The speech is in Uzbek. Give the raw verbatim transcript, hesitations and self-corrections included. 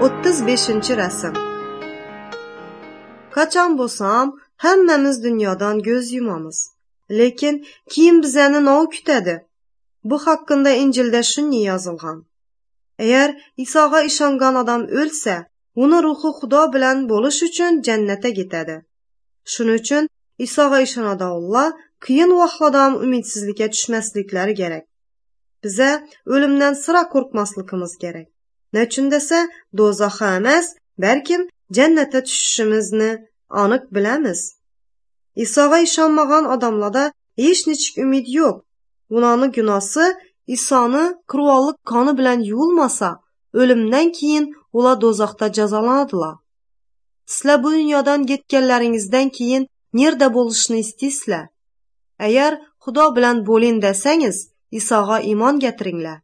O'ttiz beshinchi rasm. Qachon bo'lsam, hammamiz dunyodan ko'z yumamiz. Lekin keyin bizani nov kutadi. Bu haqida Injilda shunday yozilgan. Agar Isoga ishongan odam o'lsa, uni ruhi Xudo bilan bo'lish uchun jannatga ketadi. Shuning uchun Isoga ishonadiganlar qiyin vaqtlarda ham umidsizlikka tushmasliklari kerak. Biza o'limdan sira qo'rqmasligimiz kerak. Nechun desa, do'zaxga emas, balkim jannatga tushishimizni aniq bilamiz. Isoga ishonmagan odamlarda hech nechik umid yo'q. Ularning gunosi Isoni qurbonlik qoni bilan yuvilmasa, o'limdan keyin ular do'zaxda jazolanadilar. Sizlar bu dunyodan ketganlaringizdan keyin nerda bo'lishni istaysizlar? Agar Xudo bilan bo'ling desangiz, Isoga iymon getiringlar.